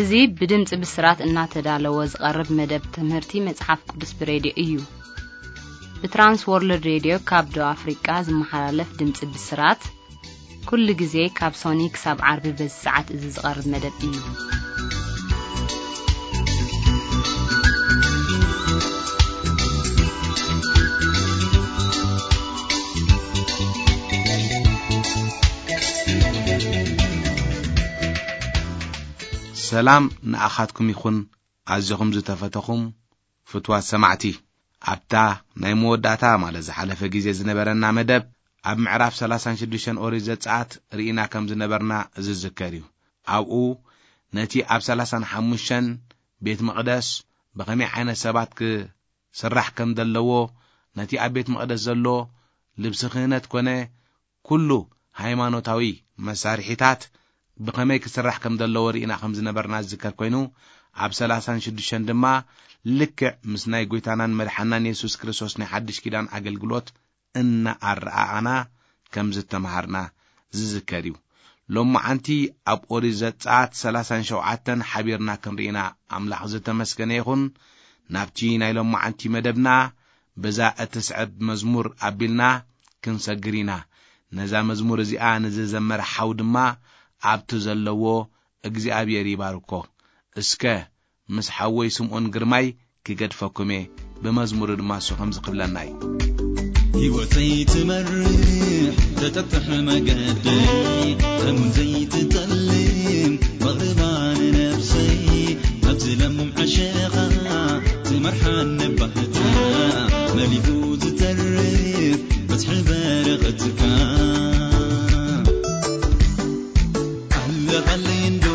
እዚ ብድምጺ ብስራት እናተዳለወ ዝቐርብ መደብ ትምህርቲ መጽሓፍ ቅዱስ ብሬድዮ እዩ። ብትራንስ ወርልድ ሬድዮ ካብ ደቡብ ኣፍሪቃ ዝመሓላለፍ ድምጺ ብስራት፣ ኩሉ ግዜ ካብ ሶኒ ክሳብ ዓርቢ በዚ ሰዓት እዚ ዝቐርብ መደብ እዩ። ሰላም ንኣኻትኩም ይኹን፣ ኣዚኹም ዝተፈተኹም ፍትዋት ሰማዕቲ። ኣብታ ናይ መወዳእታ፣ ማለት ዝሓለፈ ግዜ ዝነበረና መደብ፣ ኣብ ምዕራፍ ሰላሳን ሽዱሽተን ኦሪት ዘጸኣት ርኢና ከም ዝነበርና ዝዝከር እዩ። ኣብኡ ነቲ ኣብ ሰላሳን ሓሙሽተን ቤት መቕደስ ብኸመይ ዓይነት ሰባት ክስራሕ ከም ዘለዎ፣ ነቲ ኣብ ቤት መቕደስ ዘሎ ልብሲ ክህነት ኮነ ኩሉ ሃይማኖታዊ መሳርሒታት ብኸመይ ክስራሕ ከም ዘለዎ ርኢና ከም ዝነበርና ዝዝከር ኮይኑ፣ ኣብ ሰላሳን ሽዱሽተን ድማ ልክዕ ምስ ናይ ጐይታናን መድሓናን የሱስ ክርስቶስ ናይ ሓድሽ ኪዳን ኣገልግሎት እናኣረኣኣና ከም ዝተምሃርና ዝዝከር እዩ። ሎማዓንቲ ኣብ ኦሪት ዘጸኣት ሰላሳን ሸውዓተን ሓቢርና ክንርኢና ኣምላኽ ዝተመስገነ ይኹን። ናብቲ ናይ ሎማዓንቲ መደብና በዛ እትስዕብ መዝሙር ኣቢልና ክንሰግር ኢና። ነዛ መዝሙር እዚኣ ንዝዘመረ ሓው ድማ ኣብቲ ዘለዎ እግዚኣብሔር ይባርኮ። እስከ ምስ ሓወይ ስምኦን ግርማይ ክገድፈኩም እየ። ብመዝሙሩ ድማ እሱ ከምዚ ክብለና እዩ። ህይወተይ ትመርሕ ተጠጥሕ መገደይ፣ ሕሙን ዘይትጠልም መቕርባ ንነብሰይ፣ ናብዚ ለም ዕሸኻ ትመርሓኒ ባህታ፣ መሊኡ ዝተርፍ በዝሒ በረኸትካ። ኣለኻለይ እንዶ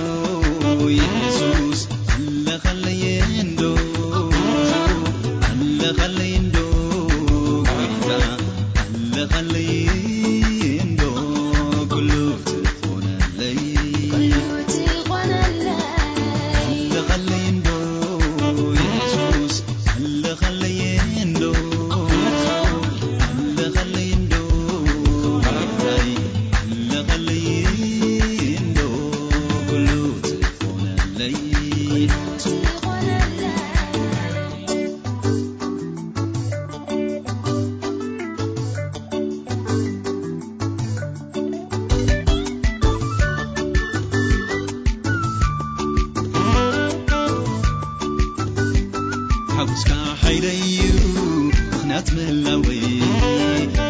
የሱስ፣ ኣለኻለይ እንዶ፣ ኣለኻለይ እንዶ ጎይታ፣ ኣለኻለይ እንዶ ኩሉ ትኾነለይ። ኣለኻለይ እንዶ የሱስ፣ ኣለኻለይ እንዶ፣ ኣለኻለይ እንዶ፣ ኣለኻለይ እንዶ፣ ኩሉ ትኾነለይ። ሓጎስካ ሓይለይ እዩ ምኽንያት ምህላወይ፣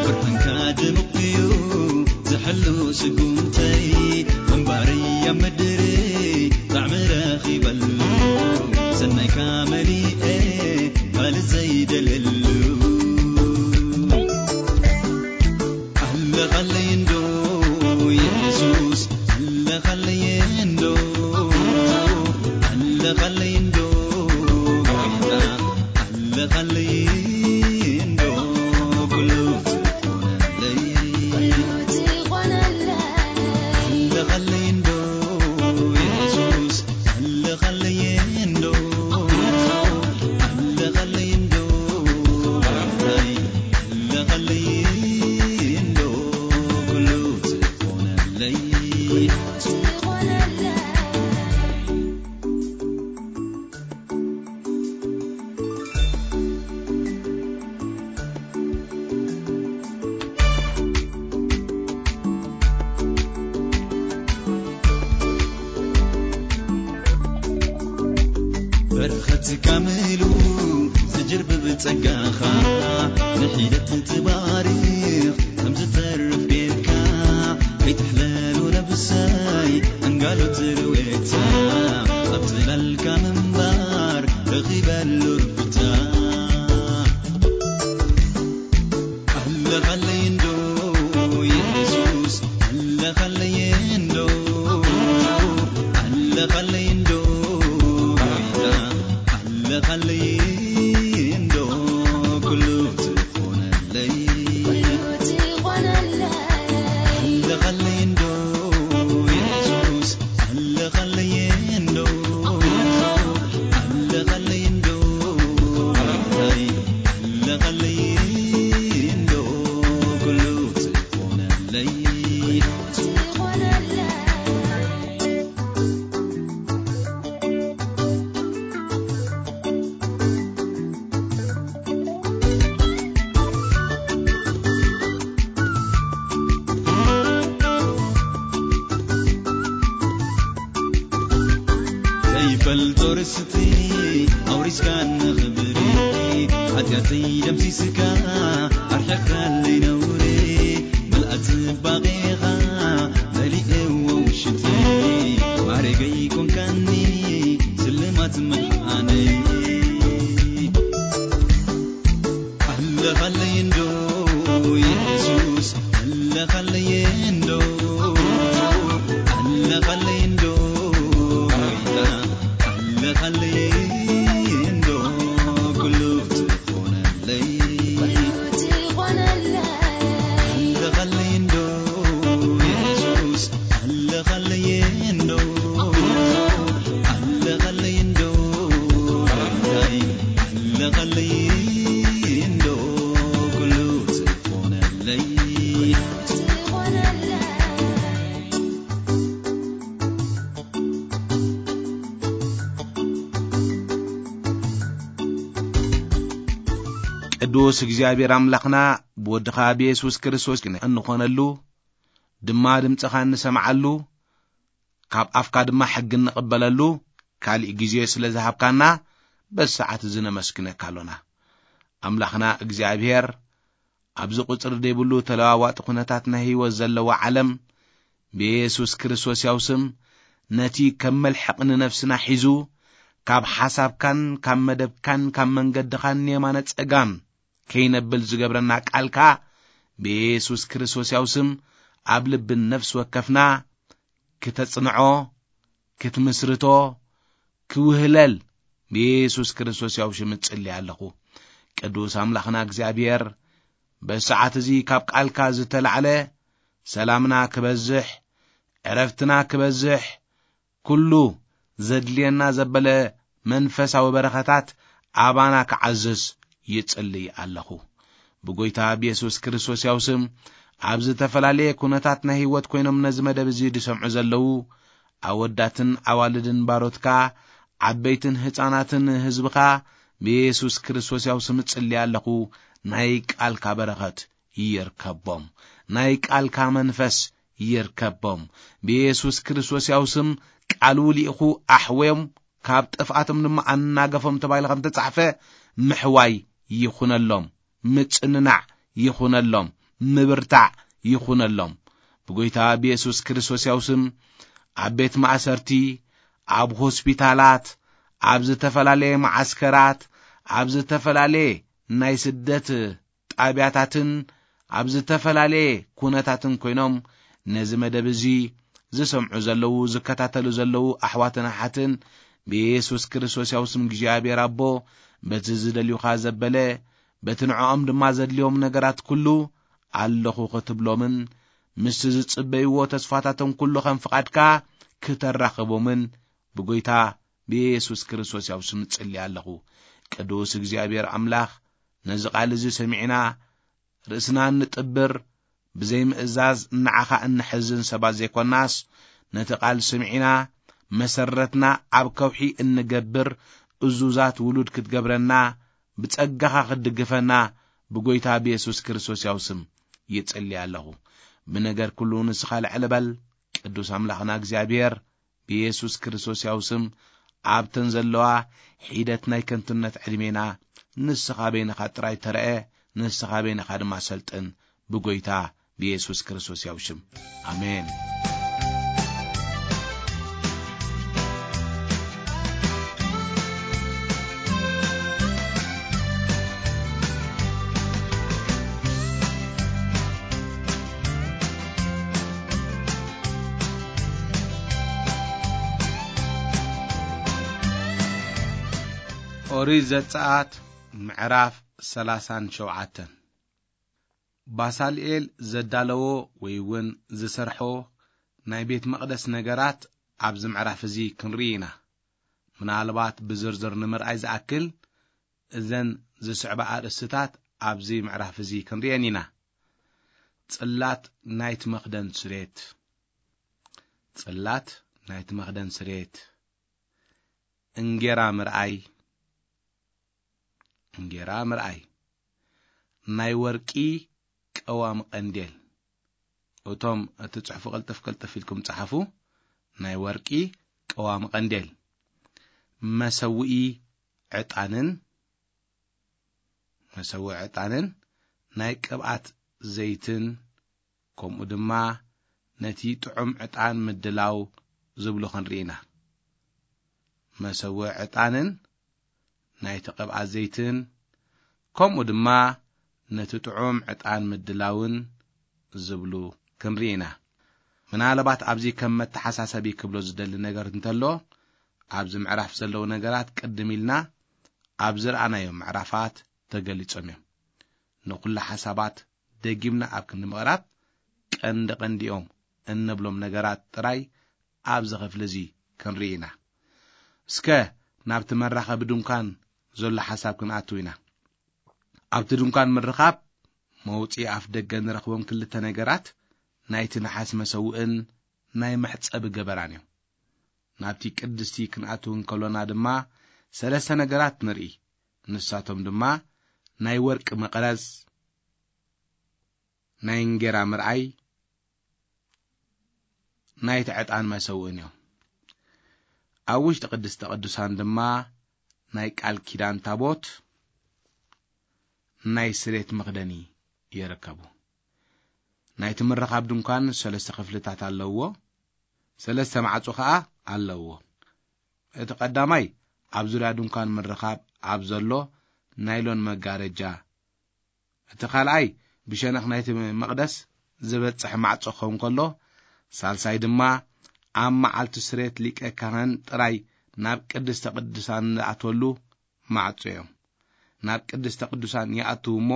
ብርሃንካ ድሙቕ እዩ ዝሕሉ ስጉምተይ፣ ምንባረይ ኣብ ምድሪ ጣዕሚ ረኺበሉ፣ ሰናይካ መሊኤ ካልእ ዘይደልየሉ። ኣለኻለይ እንዶ የሱስ፣ ኣለኻለይ እንዶ፣ ኣለኻለይ እንዶ ጎይታ፣ ኣለኻለይ እንዶ ኩሉ ትኾነለይ። ኣለኻለይ እንዶ የሱስ፣ ኣለኻለይ እንዶ፣ ኣለኻለይ እንዶ ጎይታይ፣ ኣለኻለይ እንዶ ኩሉ ትኾነለይ። በረኸትካ ምሉ ዝጅርብብ ጸጋኻ፣ ንሒደት ትባርኽ ከም ዝተርፍ ጌርካ፣ ከይትሕለሉ ነብሰይ ኣንጋሎ ትርዌታ፣ ኣብ ጽላልካ ምንባር ረኺበሉ ርብታ። ኣለኻለይ እንዶ የሱስ፣ ኣለኻለይ እንዶ፣ ኣለኻለይ እንዶ ጎይታ፣ ኣለኻለይ እንዶ ኩሉ ትኾነለይ። ኣለኻለይ እንዶ የሱስ፣ ኣለኻለይ ስቲ ኣውሪስካኒ ክብሪ፣ ሓጢኣተይ ደምሲስካ፣ ኣርሒቕካለይ ነውሪ፣ ምልኣት ጽባቐኻ መሊእዎ ውሽጠይ፣ ማዕረገይ ኮንካኒ ስልማት መድሓነይ። ኣለኻለይ እንዶ የሱስ፣ ኣለኻለይ እንዶ፣ ኣለኻለይ እንዶ ጎይታ፣ ኣለኻለይ እንዶ ኩሉ ትኾነለይ። ኣለኻለይ እንዶ የሱስ፣ ኣለኻለይ እንዶ፣ ኣለኻለይ እንዶ ጎይታይ፣ ኣለኻለይ እንዶ ኩሉ ዝኾነለይ። ቅዱስ እግዚኣብሔር ኣምላኽና ብወድኻ ብየሱስ ክርስቶስ እንኾነሉ ድማ ድምፅኻ እንሰምዓሉ ካብ ኣፍካ ድማ ሕጊ እንቕበለሉ ካሊእ ግዜ ስለ ዝሃብካና በዚ ሰዓት እዚ ነመስግነካ ኣሎና። ኣምላኽና እግዚኣብሔር ኣብዚ ቁፅሪ ዘይብሉ ተለዋዋጢ ኩነታት ናይ ህይወት ዘለዎ ዓለም ብየሱስ ክርስቶስ ያው ስም ነቲ ከም መልሕቕ ንነፍስና ሒዙ ካብ ሓሳብካን ካብ መደብካን ካብ መንገድኻን የማነ ጸጋም ከይነብል ዝገብረና ቃልካ ብየሱስ ክርስቶስ ያው ስም ኣብ ልብን ነፍሲ ወከፍና ክተጽንዖ፣ ክትምስርቶ፣ ክውህለል ብየሱስ ክርስቶስ ያው ሽም እጽሊ ኣለኹ። ቅዱስ ኣምላኽና እግዚኣብሔር፣ በሰዓት እዚ ካብ ቃልካ ዝተላዕለ ሰላምና ክበዝሕ፣ ዕረፍትና ክበዝሕ፣ ኩሉ ዘድልየና ዘበለ መንፈሳዊ በረኸታት ኣባና ክዓዝዝ ይጽልይ ኣለኹ። ብጎይታ ብየሱስ ክርስቶስ ያው ስም ኣብ ዝተፈላለየ ኩነታት ናይ ህይወት ኮይኖም ነዚ መደብ እዚ ዝሰምዑ ዘለዉ ኣወዳትን ኣዋልድን ባሮትካ፣ ዓበይትን ህፃናትን ህዝብኻ ብየሱስ ክርስቶስ ያው ስም እጽልይ ኣለኹ። ናይ ቃልካ በረኸት ይርከቦም። ናይ ቃልካ መንፈስ ይርከቦም። ብየሱስ ክርስቶስ ያው ስም ቃሉ ልኢኹ ኣሕውዮም ካብ ጥፍኣቶም ድማ ኣናገፎም ተባሂሉ ከም ተጻሕፈ ምሕዋይ ይኹነሎም፣ ምጽንናዕ ይኹነሎም፣ ምብርታዕ ይኹነሎም። ብጎይታ ብየሱስ ክርስቶስ ያው ስም ኣብ ቤት ማእሰርቲ፣ ኣብ ሆስፒታላት፣ ኣብ ዝተፈላለየ መዓስከራት፣ ኣብ ዝተፈላለየ ናይ ስደት ጣብያታትን ኣብ ዝተፈላለየ ኩነታትን ኮይኖም ነዚ መደብ እዚ ዝሰምዑ ዘለዉ፣ ዝከታተሉ ዘለዉ ኣሕዋትን ኣሓትን ብየሱስ ክርስቶስ ያው ስም እግዚኣብሔር ኣቦ በቲ ዝደልዩኻ ዘበለ በቲ ንዕኦም ድማ ዘድልዮም ነገራት ኩሉ ኣለኹ ክትብሎምን ምስቲ ዝጽበይዎ ተስፋታቶም ኩሉ ከም ፍቓድካ ክተራኽቦምን ብጎይታ ብየሱስ ክርስቶስ ያው ስም እጽሊ ኣለኹ። ቅዱስ እግዚኣብሔር ኣምላኽ ነዚ ቃል እዚ ሰሚዕና ርእስና እንጥብር ብዘይምእዛዝ ንዓኻ እንሕዝን ሰባት ዘይኮናስ ነቲ ቃል ስምዒና መሰረትና ኣብ ከውሒ እንገብር እዙዛት ውሉድ ክትገብረና ብጸጋኻ ክትድግፈና ብጎይታ ብየሱስ ክርስቶስ ያው ስም ይጽሊ ኣለኹ። ብነገር ኩሉ ንስኻ ልዕሊ በል። ቅዱስ ኣምላኽና እግዚኣብሔር ብየሱስ ክርስቶስ ያው ስም ኣብተን ዘለዋ ሒደት ናይ ከንቱነት ዕድሜና ንስኻ በይንኻ ጥራይ ተረአ፣ ንስኻ በይንኻ ድማ ሰልጥን ብጎይታ ብየሱስ ክርስቶስ ያው ሽም። ኣሜን። ኦሪት ዘጸኣት ምዕራፍ ሰላሳን ሸውዓተን። ባሳልኤል ዘዳለዎ ወይ እውን ዝሰርሖ ናይ ቤት መቕደስ ነገራት ኣብዚ ምዕራፍ እዚ ክንርኢ ኢና። ምናልባት ብዝርዝር ንምርኣይ ዝኣክል እዘን ዝስዕባ ኣርእስትታት ኣብዚ ምዕራፍ እዚ ክንርእየን ኢና። ጽላት ናይቲ መኽደን ስሬት። ጽላት ናይቲ መኽደን ስሬት። እንጌራ ምርኣይ። እንጌራ ምርኣይ። ናይ ወርቂ ቀዋሚ ቀንዴል። እቶም እትጽሕፉ ቅልጥፍ ቅልጥፍ ኢልኩም ጸሓፉ። ናይ ወርቂ ቀዋሚ ቀንዴል። መሰውኢ ዕጣንን፣ መሰውኢ ዕጣንን ናይ ቅብኣት ዘይትን፣ ከምኡ ድማ ነቲ ጥዑም ዕጣን ምድላው ዝብሉ ክንርኢ ኢና። መሰውኢ ዕጣንን ናይቲ ቅብኣት ዘይትን፣ ከምኡ ድማ ነቲ ጥዑም ዕጣን ምድላውን ዝብሉ ክንርኢ ኢና። ምናልባት ኣብዚ ከም መተሓሳሰቢ ክብሎ ዝደሊ ነገር እንተሎ፣ ኣብዚ ምዕራፍ ዘለዉ ነገራት ቅድም ኢልና ኣብ ዝረኣናዮም ምዕራፋት ተገሊጾም እዮም። ንኹሉ ሓሳባት ደጊምና ኣብ ክንዲ ምቕራብ፣ ቀንዲ ቀንዲኦም እንብሎም ነገራት ጥራይ ኣብዚ ክፍሊ እዚ ክንርኢ ኢና። እስከ ናብቲ መራኸቢ ድንኳን ዘሎ ሓሳብ ክንኣትው ኢና። ኣብቲ ድንኳን ምርኻብ መውጽኢ ኣፍ ደገ ንረኽቦም ክልተ ነገራት፣ ናይቲ ነሓስ መሰውእን ናይ መሕጸቢ ገበራን እዮም። ናብቲ ቅድስቲ ክንኣትው እንከሎና ድማ ሰለስተ ነገራት ንርኢ። ንሳቶም ድማ ናይ ወርቂ መቕረዝ፣ ናይ እንጌራ ምርኣይ፣ ናይቲ ዕጣን መሰውእን እዮም። ኣብ ውሽጢ ቅድስተ ቅዱሳን ድማ ናይ ቃል ኪዳን ታቦት፣ ናይ ስሬት መኽደኒ ይርከቡ። ናይቲ ምርኻብ ድንኳን ሰለስተ ክፍልታት ኣለውዎ፣ ሰለስተ ማዕጾ ኸኣ ኣለውዎ። እቲ ቀዳማይ ኣብ ዙርያ ድንኳን ምርኻብ ኣብ ዘሎ ናይሎን መጋረጃ፣ እቲ ካልኣይ ብሸነኽ ናይቲ መቕደስ ዝበጽሕ ማዕጾ ክኸውን ከሎ፣ ሳልሳይ ድማ ኣብ መዓልቲ ስሬት ሊቀ ካህን ጥራይ ናብ ቅድስተ ቅዱሳን ዝኣትወሉ ማዕጾ እዮም። ናብ ቅድስተ ቅዱሳን ይኣትዉ እሞ፣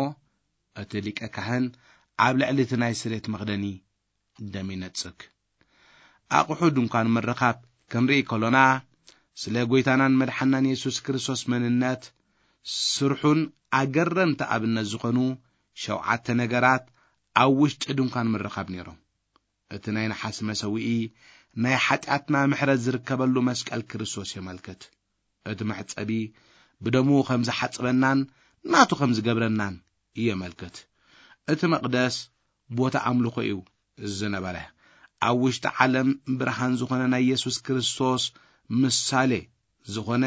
እቲ ሊቀ ካህን ኣብ ልዕሊ እቲ ናይ ስሬት መኽደኒ ደም ይነጽግ። ኣቑሑ ድንኳን ምርኻብ ክንርኢ ከሎና፣ ስለ ጐይታናን መድሓናን የሱስ ክርስቶስ መንነት፣ ስርሑን ኣገረምቲ ኣብነት ዝኾኑ ሸውዓተ ነገራት ኣብ ውሽጢ ድንኳን ምርኻብ ነይሮም። እቲ ናይ ነሓስ መሰውኢ ናይ ሓጢኣትና ምሕረት ዝርከበሉ መስቀል ክርስቶስ የመልክት። እቲ መሕጸቢ ብደሙ ከም ዝሓጽበናን ናቱ ከም ዝገብረናን የመልክት። እቲ መቕደስ ቦታ ኣምልኾ እዩ ዝነበረ። ኣብ ውሽጢ ዓለም ብርሃን ዝኾነ ናይ የሱስ ክርስቶስ ምሳሌ ዝኾነ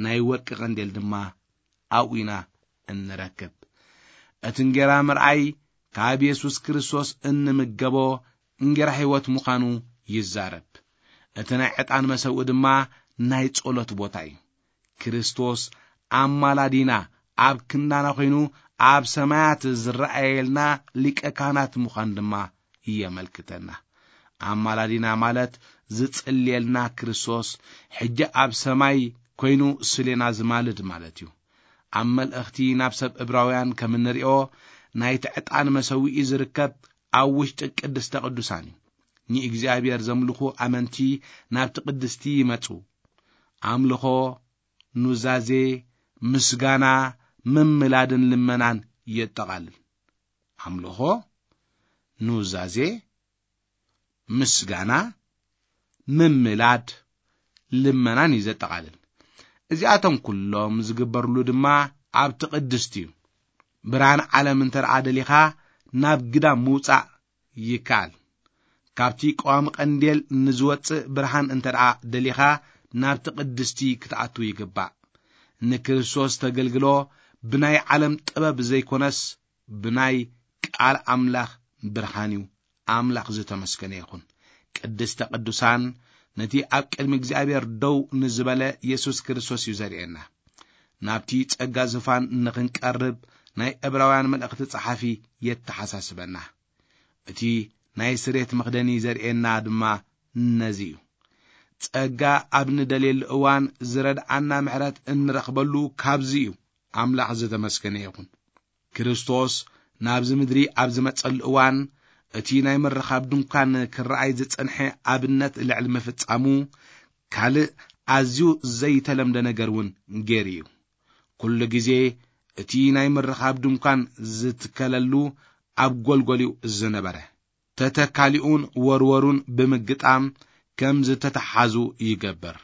ናይ ወርቂ ቀንዴል ድማ ኣብኡ ኢና እንረክብ። እቲ እንጌራ ምርኣይ ካብ የሱስ ክርስቶስ እንምገቦ እንጌራ ሕይወት ምዃኑ ይዛረብ። እቲ ናይ ዕጣን መሰውኢ ድማ ናይ ጸሎት ቦታ እዩ። ክርስቶስ ኣማላዲና ኣብ ክንዳና ኮይኑ ኣብ ሰማያት ዝረኣየልና ሊቀ ካህናት ምዃን ድማ የመልክተና። ኣማላዲና ማለት ዝጽልየልና ክርስቶስ ሕጂ ኣብ ሰማይ ኮይኑ ስሌና ዝማልድ ማለት እዩ። ኣብ መልእኽቲ ናብ ሰብ እብራውያን ከም እንሪኦ ናይቲ ዕጣን መሰውኢ ዝርከብ ኣብ ውሽጢ ቅድስተ ቅዱሳን እዩ። ንእግዚኣብሔር ዘምልኹ ኣመንቲ ናብቲ ቅድስቲ ይመጹ። ኣምልኾ፣ ኑዛዜ፣ ምስጋና፣ ምምላድን ልመናን የጠቓልል። ኣምልኾ፣ ኑዛዜ፣ ምስጋና፣ ምምላድ፣ ልመናን እዩ ዘጠቓልል። እዚኣቶም ኩሎም ዝግበርሉ ድማ ኣብቲ ቅድስቲ እዩ። ብርሃን ዓለም እንተ ደኣ ደሊኻ ናብ ግዳም ምውጻእ ይከኣል። ካብቲ ቀዋሚ ቀንዴል ንዝወጽእ ብርሃን እንተ ደኣ ደሊኻ ናብቲ ቅድስቲ ክትኣቱ ይግባእ። ንክርስቶስ ተገልግሎ ብናይ ዓለም ጥበብ ዘይኮነስ ብናይ ቃል ኣምላኽ ብርሃን እዩ። ኣምላኽ ዝተመስገነ ይኹን። ቅድስተ ቅዱሳን ነቲ ኣብ ቅድሚ እግዚኣብሔር ደው ንዝበለ የሱስ ክርስቶስ እዩ ዘርእየና። ናብቲ ጸጋ ዝፋን ንኽንቀርብ ናይ ዕብራውያን መልእኽቲ ጸሓፊ የተሓሳስበና። እቲ ናይ ስሬት መኽደኒ ዘርእየና ድማ ነዚ እዩ። ጸጋ ኣብ ንደልየሉ እዋን ዝረድኣና ምሕረት እንረኽበሉ ካብዚ እዩ። ኣምላኽ ዝተመስገነ ይኹን። ክርስቶስ ናብዚ ምድሪ ኣብ ዝመጸሉ እዋን እቲ ናይ ምርኻብ ድንኳን ክረኣይ ዝጸንሐ ኣብነት ልዕሊ ምፍጻሙ ካልእ ኣዝዩ ዘይተለምደ ነገር እውን ገይሩ እዩ። ኩሉ ግዜ እቲ ናይ ምርኻብ ድንኳን ዝትከለሉ ኣብ ጎልጎል እዩ ዝነበረ። ተተካሊኡን ወርወሩን ብምግጣም ከም ዝተተሓዙ ይገብር።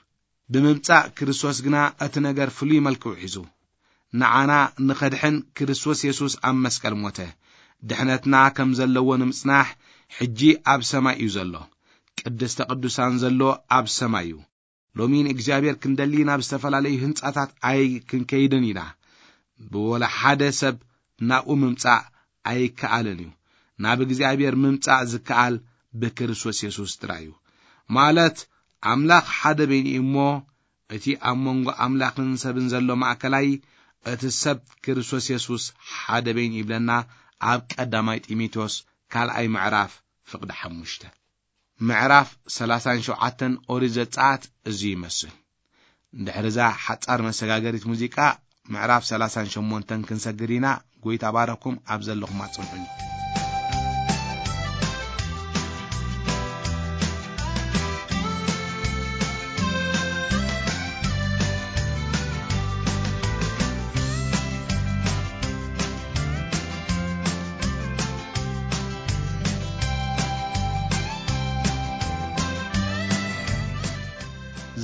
ብምምጻእ ክርስቶስ ግና እቲ ነገር ፍሉይ መልክዑ ሒዙ። ንዓና ንኸድሕን ክርስቶስ የሱስ ኣብ መስቀል ሞተ። ድሕነትና ከም ዘለዎ ንምጽናሕ ሕጂ ኣብ ሰማይ እዩ ዘሎ። ቅድስተ ቅዱሳን ዘሎ ኣብ ሰማይ እዩ። ሎሚ ንእግዚኣብሔር ክንደሊ ናብ ዝተፈላለዩ ህንጻታት ኣይክንከይድን ኢና። ብወላ ሓደ ሰብ ናብኡ ምምጻእ ኣይከኣልን እዩ። ናብ እግዚኣብሔር ምምጻእ ዝከኣል ብክርስቶስ የሱስ ጥራይ እዩ። ማለት ኣምላኽ ሓደ በይኑ እዩ እሞ፣ እቲ ኣብ መንጎ ኣምላኽን ሰብን ዘሎ ማእከላይ፣ እቲ ሰብ ክርስቶስ የሱስ ሓደ በይኑ ይብለና ኣብ ቀዳማይ ጢሞቴዎስ ካልኣይ ምዕራፍ ፍቕዲ ሓሙሽተ። ምዕራፍ ሰላሳን ሸውዓተን ኦሪት ዘጸኣት እዚ ይመስል። ድሕሪ እዛ ሓጻር መሰጋገሪት ሙዚቃ፣ ምዕራፍ ሰላሳን ሸሞንተን ክንሰግር ኢና። ጎይታ ባረኩም፣ ኣብ ዘለኹም ኣጽንዑኒ።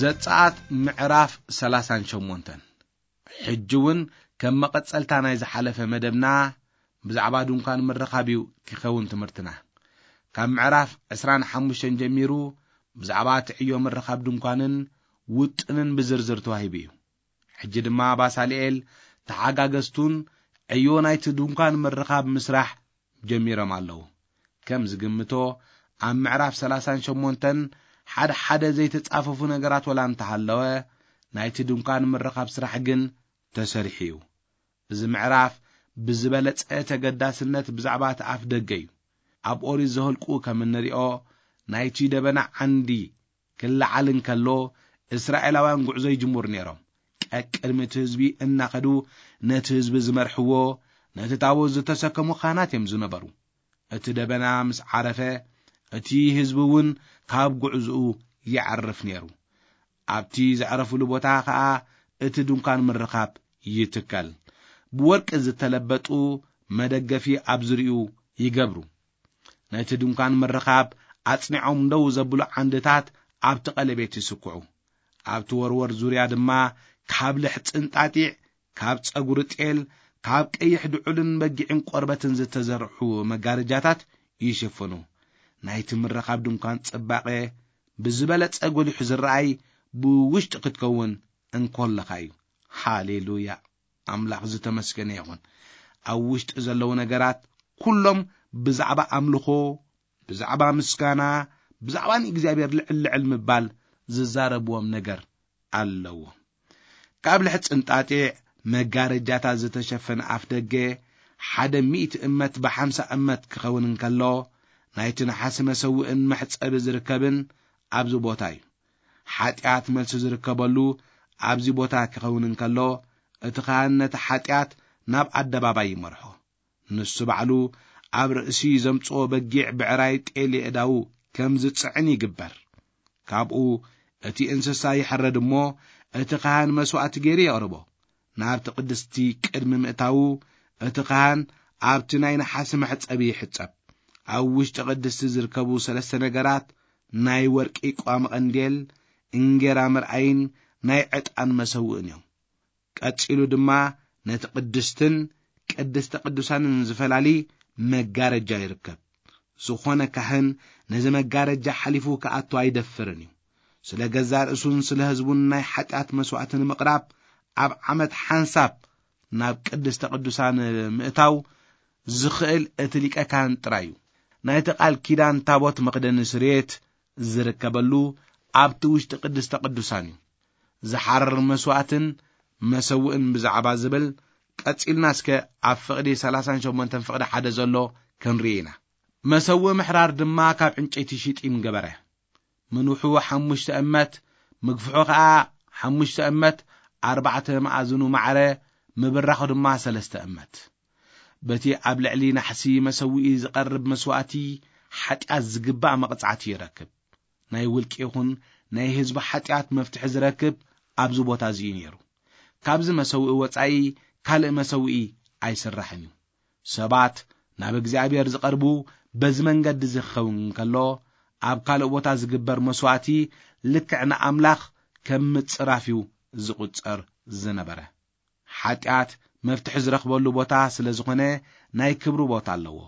ዘጸኣት ምዕራፍ ሰላሳን ሸሞንተን። ሕጂ እውን ከም መቐጸልታ ናይ ዝሓለፈ መደብና ብዛዕባ ድንኳን ምርኻብ እዩ ክኸውን ትምህርትና። ካብ ምዕራፍ ዕስራን ሓሙሽተን ጀሚሩ ብዛዕባ እቲ ዕዮ ምርኻብ ድንኳንን ውጥንን ብዝርዝር ተዋሂቡ እዩ። ሕጂ ድማ ባሳልኤል ተሓጋገዝቱን ዕዮ ናይቲ ድንኳን ምርኻብ ምስራሕ ጀሚሮም ኣለዉ። ከም ዝግምቶ ኣብ ምዕራፍ ሰላሳን ሸሞንተን ሓደ ሓደ ዘይተጻፈፉ ነገራት ወላ እንተሃለወ፣ ናይቲ ድንኳን ምርኻብ ስራሕ ግን ተሰሪሑ እዩ። እዚ ምዕራፍ ብዝበለጸ ተገዳስነት ብዛዕባ እቲ ኣፍ ደገ እዩ። ኣብ ኦሪት ዘኍልቁ ከም እንሪኦ፣ ናይቲ ደበና ዓንዲ ክለዓል እንከሎ፣ እስራኤላውያን ጉዕዞ ይጅምሩ ነይሮም። ቀቅድሚ እቲ ህዝቢ እናኸዱ ነቲ ህዝቢ ዝመርሕዎ፣ ነቲ ታቦት ዝተሰከሙ ካህናት እዮም ዝነበሩ። እቲ ደበና ምስ ዓረፈ፣ እቲ ህዝቢ እውን ካብ ጉዕዞኡ ይዓርፍ ነይሩ። ኣብቲ ዘዕረፍሉ ቦታ ኸኣ እቲ ድንኳን ምርኻብ ይትከል። ብወርቂ ዝተለበጡ መደገፊ ኣብ ዙሪኡ ይገብሩ። ነቲ ድንኳን ምርኻብ ኣጽኒዖም ደው ዘብሉ ዓንድታት ኣብቲ ቀለቤት ይስኩዑ። ኣብቲ ወርወር ዙርያ ድማ ካብ ልሕጽን ጣጢዕ፣ ካብ ጸጉሪ ጤል፣ ካብ ቀይሕ ድዑልን በጊዕን ቆርበትን ዝተዘርሑ መጋረጃታት ይሽፍኑ። ናይቲ ምርኻብ ድንኳን ጽባቐ ብዝበለጸ ጎሊሑ ዝረኣይ ብውሽጢ ክትከውን እንኮለኻ እዩ። ሃሌሉያ! ኣምላኽ ዝተመስገነ ይኹን። ኣብ ውሽጢ ዘለዉ ነገራት ኩሎም ብዛዕባ ኣምልኾ፣ ብዛዕባ ምስጋና፣ ብዛዕባ ንእግዚኣብሔር ልዕል ልዕል ምባል ዝዛረብዎም ነገር ኣለዎ። ካብ ልሕጽን ጣጢዕ መጋረጃታት ዝተሸፈነ ኣፍ ደገ ሓደ ሚእቲ እመት ብሓምሳ እመት ክኸውን እንከሎ፣ ናይቲ ነሓሲ መሰውእን መሕጸቢ ዝርከብን ኣብዚ ቦታ እዩ። ሓጢኣት መልሲ ዝርከበሉ ኣብዚ ቦታ ክኸውን እንከሎ፣ እቲ ካህን ነቲ ሓጢኣት ናብ ኣደባባይ ይመርሖ። ንሱ ባዕሉ ኣብ ርእሲ ዘምጽኦ በጊዕ ብዕራይ ጤል የእዳዉ ከም ዝጽዕን ይግበር። ካብኡ እቲ እንስሳ ይሕረድ እሞ፣ እቲ ካህን መስዋእቲ ገይሩ የቕርቦ። ናብቲ ቅድስቲ ቅድሚ ምእታዉ፣ እቲ ካህን ኣብቲ ናይ ነሓሲ መሕጸቢ ይሕጸብ። ኣብ ውሽጢ ቅድስቲ ዝርከቡ ሰለስተ ነገራት፣ ናይ ወርቂ ቋመ ቀንዴል፣ እንጌራ መርኣይን ናይ ዕጣን መሰውእን እዮም። ቀጺሉ ድማ ነቲ ቅድስትን ቅድስተ ቅዱሳንን ዝፈላሊ መጋረጃ ይርከብ። ዝኾነ ካህን ነዚ መጋረጃ ሓሊፉ ክኣቱ ኣይደፍርን እዩ። ስለ ገዛእ ርእሱን ስለ ህዝቡን ናይ ሓጢኣት መስዋእቲ ንምቕራብ ኣብ ዓመት ሓንሳብ ናብ ቅድስተ ቅዱሳን ምእታው ዝኽእል እቲ ሊቀ ካህን ጥራይ እዩ። ናይቲ ቃል ኪዳን ታቦት መኽደኒ ስርየት ዝርከበሉ ኣብቲ ውሽጢ ቅድስተ ቅዱሳን እዩ። ዝሓርር መስዋእትን መሰውእን ብዛዕባ ዝብል ቀጺልና እስከ ኣብ ፍቕዲ ሰላሳን ሸሞንተን ፍቕዲ ሓደ ዘሎ ክንርኢ ኢና። መሰውእ ምሕራር ድማ ካብ ዕንጨይቲ ሽጢም ገበረ። ምንውሑ ሓሙሽተ እመት፣ ምግፍሑ ኸኣ ሓሙሽተ እመት፣ ኣርባዕተ መኣዝኑ ማዕረ፣ ምብራኹ ድማ ሰለስተ እመት። በቲ ኣብ ልዕሊ ናሕሲ መሰውኢ ዝቐርብ መስዋእቲ ሓጢኣት ዝግባእ መቕጻዕቲ ይረክብ። ናይ ውልቂ ይኹን ናይ ህዝቢ ሓጢኣት መፍትሒ ዝረክብ ኣብዚ ቦታ እዚ እዩ ነይሩ። ካብዚ መሰውኢ ወጻኢ ካልእ መሰውኢ ኣይስራሕን እዩ። ሰባት ናብ እግዚኣብሔር ዝቐርቡ በዚ መንገዲ እዚ ክኸውን እንከሎ፣ ኣብ ካልእ ቦታ ዝግበር መስዋእቲ ልክዕ ንኣምላኽ ከም ምጽራፍ እዩ ዝቑጸር ዝነበረ። ሓጢኣት መፍትሒ ዝረኽበሉ ቦታ ስለ ዝኾነ ናይ ክብሪ ቦታ ኣለዎ።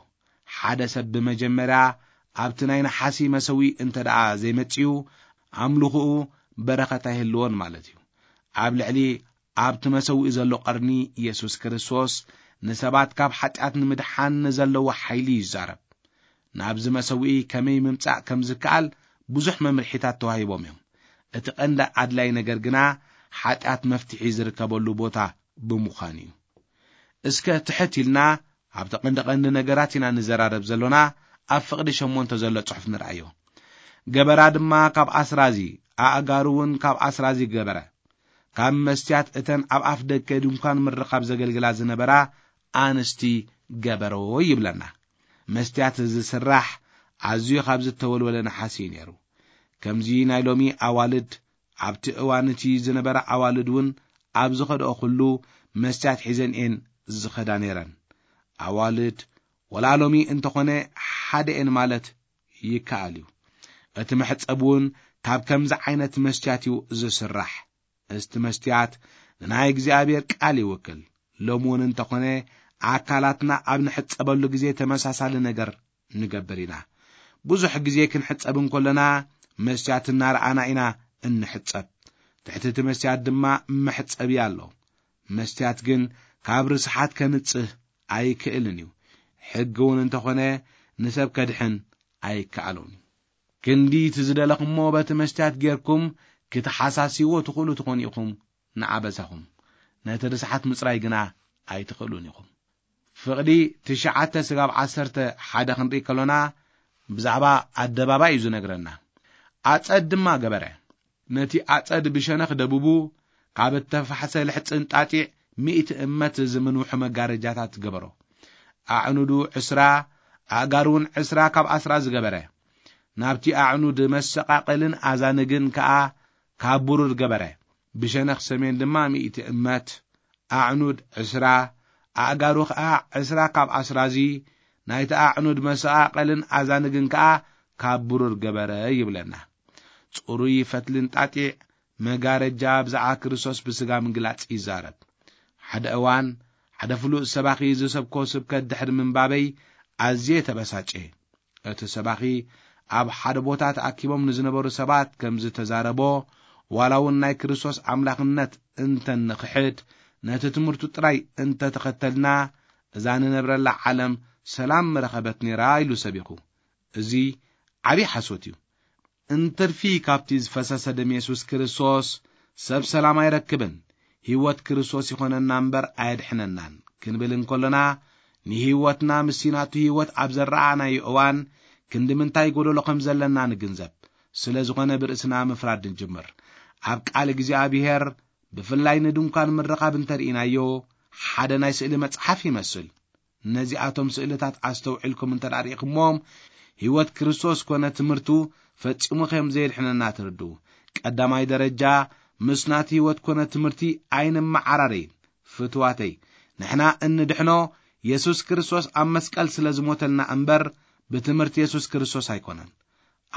ሓደ ሰብ ብመጀመርያ ኣብቲ ናይ ነሓሲ መሰውኢ እንተ ደኣ ዘይመጽኡ፣ ኣምልኾኡ በረኸት ኣይህልዎን ማለት እዩ። ኣብ ልዕሊ ኣብቲ መሰውኢ ዘሎ ቀርኒ፣ የሱስ ክርስቶስ ንሰባት ካብ ሓጢኣት ንምድሓን ንዘለዎ ሓይሊ ይዛረብ። ናብዚ መሰውኢ ከመይ ምምጻእ ከም ዝከኣል ብዙሕ መምርሒታት ተዋሂቦም እዮም። እቲ ቀንዲ ኣድላይ ነገር ግና ሓጢኣት መፍትሒ ዝርከበሉ ቦታ ብምዃኑ እዩ። እስከ ትሕት ኢልና ኣብቲ ቀንዲ ቀንዲ ነገራት ኢና ንዘራረብ ዘሎና። ኣብ ፍቕዲ ሸሞንተ ዘሎ ጽሑፍ ንርኣዮ። ገበራ ድማ ካብ ኣስራዚ፣ ኣእጋሩ እውን ካብ ኣስራዚ ገበረ። ካብ መስትያት እተን ኣብ ኣፍ ደገ ድንኳን ምርኻብ ዘገልግላ ዝነበራ ኣንስቲ ገበሮ ይብለና። መስትያት ዝስራሕ ኣዝዩ ካብ ዝተወልወለ ነሓስ እዩ ነይሩ። ከምዚ ናይ ሎሚ ኣዋልድ፣ ኣብቲ እዋን እቲ ዝነበራ ኣዋልድ እውን ኣብ ዝኸድኦ ኩሉ መስትያት ሒዘን እየን ዝኸዳ ነይረን። ኣዋልድ ወላ ሎሚ እንተኾነ ሓደ እየን ማለት ይከኣል እዩ። እቲ መሕጸብ እውን ካብ ከምዚ ዓይነት መስትያት እዩ ዝስራሕ። እስቲ መስትያት ንናይ እግዚኣብሔር ቃል ይውክል። ሎሚ እውን እንተኾነ ኣካላትና ኣብ ንሕጸበሉ ግዜ ተመሳሳሊ ነገር ንገብር ኢና። ብዙሕ ግዜ ክንሕጸብ እንከለና መስትያት እናረኣና ኢና እንሕጸብ። ትሕቲ እቲ መስትያት ድማ መሕጸቢ ኣሎ። መስትያት ግን ካብ ርስሓት ከንጽህ ኣይክእልን እዩ። ሕጊ እውን እንተኾነ ንሰብ ከድሕን ኣይከኣሎን እዩ። ክንዲ እቲ ዝደለኹሞ በቲ መስትያት ጌርኩም ክትሓሳስይዎ ትኽእሉ ትኾኑ ኢኹም ንዓበሳኹም። ነቲ ርስሓት ምጽራይ ግና ኣይትኽእሉን ኢኹም። ፍቕዲ ትሽዓተ ስጋብ ዓሰርተ ሓደ ክንርኢ ከሎና ብዛዕባ ኣደባባይ እዩ ዝነግረና። ኣጸድ ድማ ገበረ። ነቲ ኣጸድ ብሸነኽ ደቡቡ ካብ እተፋሕሰ ልሕጽን ጣጢዕ ሚእቲ እመት ዝምንውሑ መጋረጃታት ገበሮ። ኣዕኑዱ ዕስራ፣ ኣእጋሩውን ዕስራ ካብ ኣስራ ዝገበረ። ናብቲ ኣዕኑድ መሰቓቐልን ኣዛንግን ከኣ ካብ ብሩር ገበረ። ብሸነኽ ሰሜን ድማ ሚእቲ እመት፣ ኣዕኑድ ዕስራ፣ ኣእጋሩ ኸኣ ዕስራ ካብ ኣስራዚ፣ ናይቲ ኣዕኑድ መሰቓቐልን ኣዛንግን ከኣ ካብ ብሩር ገበረ ይብለና። ጽሩይ ፈትልን ጣጢዕ መጋረጃ ብዛዕባ ክርስቶስ ብስጋ ምግላጽ ይዛረብ። ሓደ እዋን ሓደ ፍሉጥ ሰባኺ ዝሰብኮ ስብከት ድሕሪ ምንባበይ ኣዝየ ተበሳጨ። እቲ ሰባኺ ኣብ ሓደ ቦታ ተኣኪቦም ንዝነበሩ ሰባት ከም ዝተዛረቦ፣ ዋላ እውን ናይ ክርስቶስ ኣምላኽነት እንተ ንኽሕድ፣ ነቲ ትምህርቱ ጥራይ እንተ ተኸተልና፣ እዛ ንነብረላ ዓለም ሰላም ምረኸበት ነይራ ኢሉ ሰቢኹ። እዚ ዓብዪ ሓሶት እዩ። እንትርፊ ካብቲ ዝፈሰሰ ደም የሱስ ክርስቶስ ሰብ ሰላም ኣይረክብን። ህይወት ክርስቶስ ይኾነና እምበር ኣየድሕነናን ክንብል እንከሎና፣ ንህይወትና ምስቲ ናቱ ህይወት ኣብ ዘረኣናዮ እዋን ክንዲ ምንታይ ጎደሎ ከም ዘለና ንግንዘብ። ስለ ዝኾነ ብርእስና ምፍራድ ንጅምር። ኣብ ቃል እግዚኣብሔር ብፍላይ ንድንኳን ምርኻብ እንተርኢናዮ ሓደ ናይ ስእሊ መጽሓፍ ይመስል። ነዚኣቶም ስእልታት ኣስተውዒልኩም እንተ ደኣ ርኢኹምዎም፣ ህይወት ክርስቶስ ኮነ ትምህርቱ ፈጺሙ ከም ዘየድሕነና ትርድኡ። ቀዳማይ ደረጃ፣ ምስ ናቲ ህይወት ኮነ ትምህርቲ ኣይንመዓራረይ። ፍትዋተይ፣ ንሕና እንድሕኖ የሱስ ክርስቶስ ኣብ መስቀል ስለ ዝሞተልና እምበር፣ ብትምህርቲ የሱስ ክርስቶስ ኣይኮነን።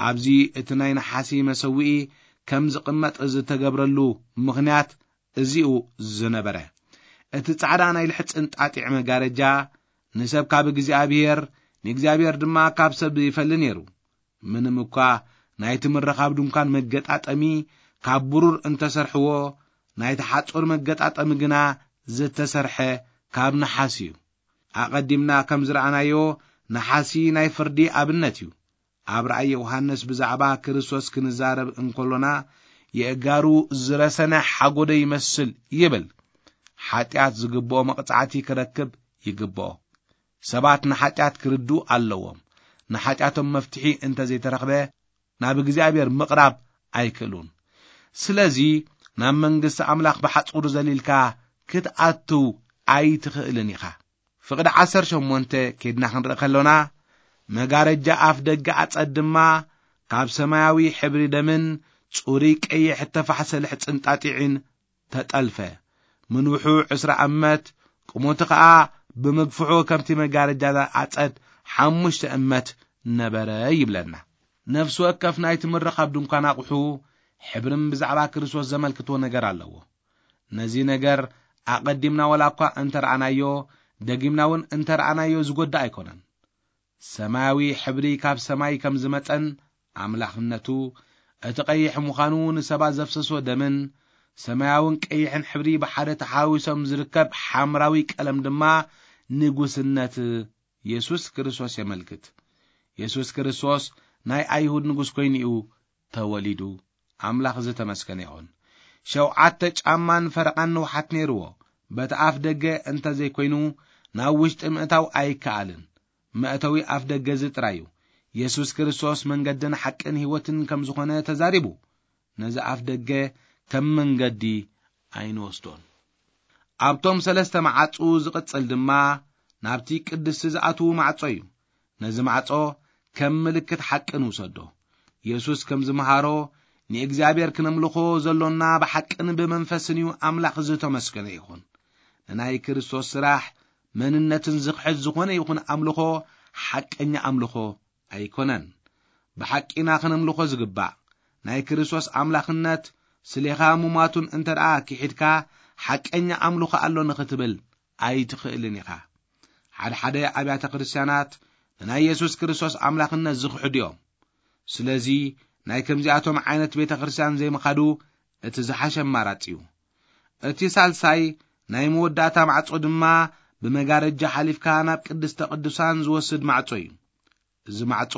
ኣብዚ እቲ ናይ ነሓሲ መሰውኢ ከም ዝቕመጥ ዝተገብረሉ ምኽንያት እዚኡ ዝነበረ። እቲ ጻዕዳ ናይ ልሕጽን ጣጢዕ መጋረጃ ንሰብ ካብ እግዚኣብሔር፣ ንእግዚኣብሔር ድማ ካብ ሰብ ይፈሊ ነይሩ። ምንም እኳ ናይቲ ምርኻብ ድንኳን መገጣጠሚ ካብ ብሩር እንተሰርሕዎ፣ ናይቲ ሓጹር መገጣጠሚ ግና ዝተሰርሐ ካብ ነሓስ እዩ። ኣቐዲምና ከም ዝረኣናዮ፣ ነሓሲ ናይ ፍርዲ ኣብነት እዩ። ኣብ ራእይ ዮሃንስ ብዛዕባ ክርስቶስ ክንዛረብ እንከሎና፣ የእጋሩ ዝረሰነ ሓጎደ ይመስል ይብል። ሓጢኣት ዝግብኦ መቕጻዕቲ ክረክብ ይግብኦ። ሰባት ንሓጢኣት ክርድኡ ኣለዎም። ንሓጢኣቶም መፍትሒ እንተ ዘይተረኽበ፣ ናብ እግዚኣብሔር ምቕራብ ኣይክእሉን። ስለዚ ናብ መንግስቲ ኣምላኽ ብሓጹር ዘሊልካ ክትኣትው ኣይትኽእልን ኢኻ። ፍቕዲ ዓሰርተ ሸሞንተ ኬድና ክንርኢ ከሎና፣ መጋረጃ ኣፍ ደገ ኣጸድ ድማ ካብ ሰማያዊ ሕብሪ ደምን ጽሩይ ቀይሕ እተፋሕሰ ልሕጽን ጣጢዕን ተጠልፈ። ምንውሑ ዕስራ እመት፣ ቁመቱ ኸኣ ብምግፍሑ ከምቲ መጋረጃ ኣጸድ ሓሙሽተ እመት ነበረ ይብለና። ነፍሲ ወከፍ ናይቲ ምርኻብ ድንኳን ኣቑሑ ሕብርን ብዛዕባ ክርስቶስ ዘመልክትዎ ነገር ኣለዎ። ነዚ ነገር ኣቐዲምና ዋላ እኳ እንተ ረኣናዮ፣ ደጊምና እውን እንተ ረኣናዮ ዝጎድእ ኣይኮነን። ሰማያዊ ሕብሪ ካብ ሰማይ ከም ዝመጸን ኣምላኽነቱ እቲ ቀይሕ ምዃኑ ንሰባት ዘፍሰሶ ደምን ሰማያውን ቀይሕን ሕብሪ ብሓደ ተሓዊሶም ዝርከብ ሓምራዊ ቀለም ድማ ንጉስነት የሱስ ክርስቶስ የመልክት። የሱስ ክርስቶስ ናይ ኣይሁድ ንጉስ ኮይኑ እዩ ተወሊዱ። ኣምላኽ ዝተመስገነ ይኹን። ሸውዓተ ጫማን ፈረቓን ንውሓት ነይርዎ። በቲ ኣፍ ደገ እንተ ዘይኮይኑ ናብ ውሽጢ ምእታው ኣይከኣልን። መእተዊ ኣፍ ደገ እዚ ጥራይ እዩ። የሱስ ክርስቶስ መንገድን ሓቅን ህይወትን ከም ዝኾነ ተዛሪቡ። ነዚ ኣፍ ደገ ከም መንገዲ ኣይንወስዶን። ኣብቶም ሰለስተ መዓጹ ዝቕጽል ድማ ናብቲ ቅድስቲ ዝኣትዉ ማዕጾ እዩ። ነዚ ማዕጾ ከም ምልክት ሓቂ ንውሰዶ። የሱስ ከም ዝመሃሮ ንእግዚኣብሔር ክነምልኾ ዘሎና ብሓቅን ብመንፈስን እዩ። ኣምላኽ ዝተመስገነ ይኹን። ንናይ ክርስቶስ ስራሕ መንነትን ዝኽሕድ ዝኾነ ይኹን ኣምልኾ ሓቀኛ ኣምልኾ ኣይኮነን። ብሓቂና ክነምልኾ ዝግባእ ናይ ክርስቶስ ኣምላኽነት ስሌኻ ሙማቱን እንተ ደኣ ክሒድካ ሓቀኛ ኣምልኾ ኣሎ ንኽትብል ኣይትኽእልን ኢኻ። ሓደ ሓደ ኣብያተ ክርስቲያናት ንናይ የሱስ ክርስቶስ ኣምላኽነት ዝኽሕዱ እዮም። ስለዚ ናይ ከምዚኣቶም ዓይነት ቤተ ክርስቲያን ዘይምኻዱ እቲ ዝሓሸ ኣማራጺ እዩ። እቲ ሳልሳይ ናይ መወዳእታ ማዕጾ ድማ ብመጋረጃ ሓሊፍካ ናብ ቅድስተ ቅዱሳን ዝወስድ ማዕጾ እዩ። እዚ ማዕጾ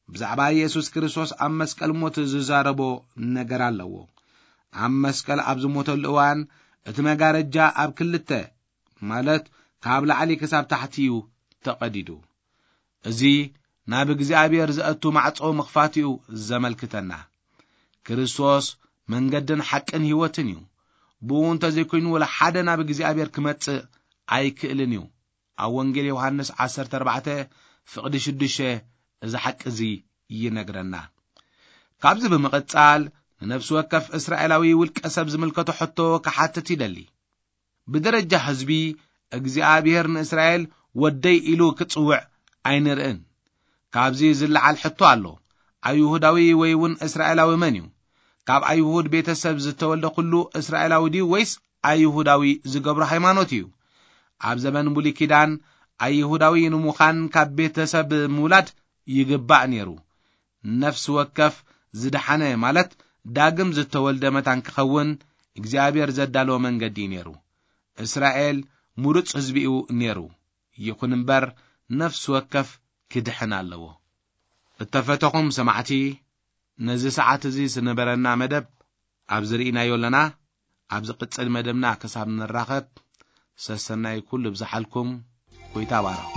ብዛዕባ የሱስ ክርስቶስ ኣብ መስቀል ሞት ዝዛረቦ ነገር ኣለዎ። ኣብ መስቀል ኣብ ዝሞተሉ እዋን እቲ መጋረጃ ኣብ ክልተ፣ ማለት ካብ ላዕሊ ክሳብ ታሕቲ እዩ ተቐዲዱ። እዚ ናብ እግዚኣብሔር ዘእቱ ማዕጾ ምኽፋት እዩ ዘመልክተና። ክርስቶስ መንገድን ሓቅን ህይወትን እዩ። ብኡ እንተ ዘይኮይኑ ወላ ሓደ ናብ እግዚኣብሔር ክመጽእ ኣይክእልን እዩ። ኣብ ወንጌል ዮሃንስ ዓሰርተ ኣርባዕተ ፍቕዲ ሽዱሽተ እዚ ሓቂ እዚ ይነግረና። ካብዚ ብምቕጻል ንነፍሲ ወከፍ እስራኤላዊ ውልቀ ሰብ ዝምልከቶ ሕቶ ክሓትት ይደሊ። ብደረጃ ህዝቢ እግዚኣብሔር ንእስራኤል ወደይ ኢሉ ክጽውዕ ኣይንርእን። ካብዚ ዝለዓል ሕቶ ኣሎ። ኣይሁዳዊ ወይ እውን እስራኤላዊ መን እዩ? ካብ ኣይሁድ ቤተሰብ ዝተወልደ ኩሉ እስራኤላዊ ድዩ ወይስ ኣይሁዳዊ ዝገብሮ ሃይማኖት እዩ? ኣብ ዘመን ብሉይ ኪዳን ኣይሁዳዊ ንምዃን ካብ ቤተሰብ ምውላድ ይግባእ ነይሩ። ነፍሲ ወከፍ ዝደሓነ ማለት ዳግም ዝተወልደ መታን ክኸውን እግዚኣብሔር ዘዳለወ መንገዲ እዩ ነይሩ። እስራኤል ምሩጽ ህዝቢ እዩ ነይሩ። ይኹን እምበር ነፍሲ ወከፍ ክድሕን ኣለዎ። እተፈተኹም ሰማዕቲ፣ ነዚ ሰዓት እዚ ዝነበረና መደብ ኣብዚ ርኢናዮ ኣለና። ኣብ ዝቕጽል መደብና ክሳብ ንራኸብ ሰሰናይ ኩሉ ብዝሓልኩም። ጎይታ ባርኹ።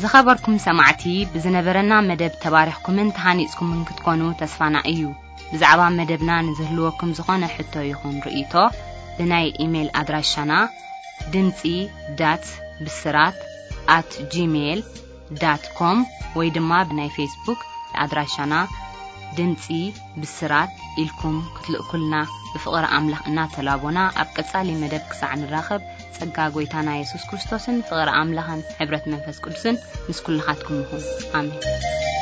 ዝኸበርኩም ሰማዕቲ፣ ብዝነበረና መደብ ተባሪኽኩምን ተሃኒጽኩምን ክትኮኑ ተስፋና እዩ። ብዛዕባ መደብና ንዝህልወኩም ዝኾነ ሕቶ ይኹን ርእይቶ፣ ብናይ ኢሜይል ኣድራሻና ድምጺ ዳት ብስራት ኣት ጂሜይል ዳት ኮም ወይ ድማ ብናይ ፌስቡክ ኣድራሻና ድምጺ ብስራት ኢልኩም ክትልእኩልና ብፍቕሪ ኣምላኽ እናተላቦና፣ ኣብ ቀጻሊ መደብ ክሳዕ ንራኸብ፣ ጸጋ ጎይታና የሱስ ክርስቶስን ፍቕሪ ኣምላኽን ሕብረት መንፈስ ቅዱስን ምስ ኩልኻትኩም ይኹን። ኣሜን።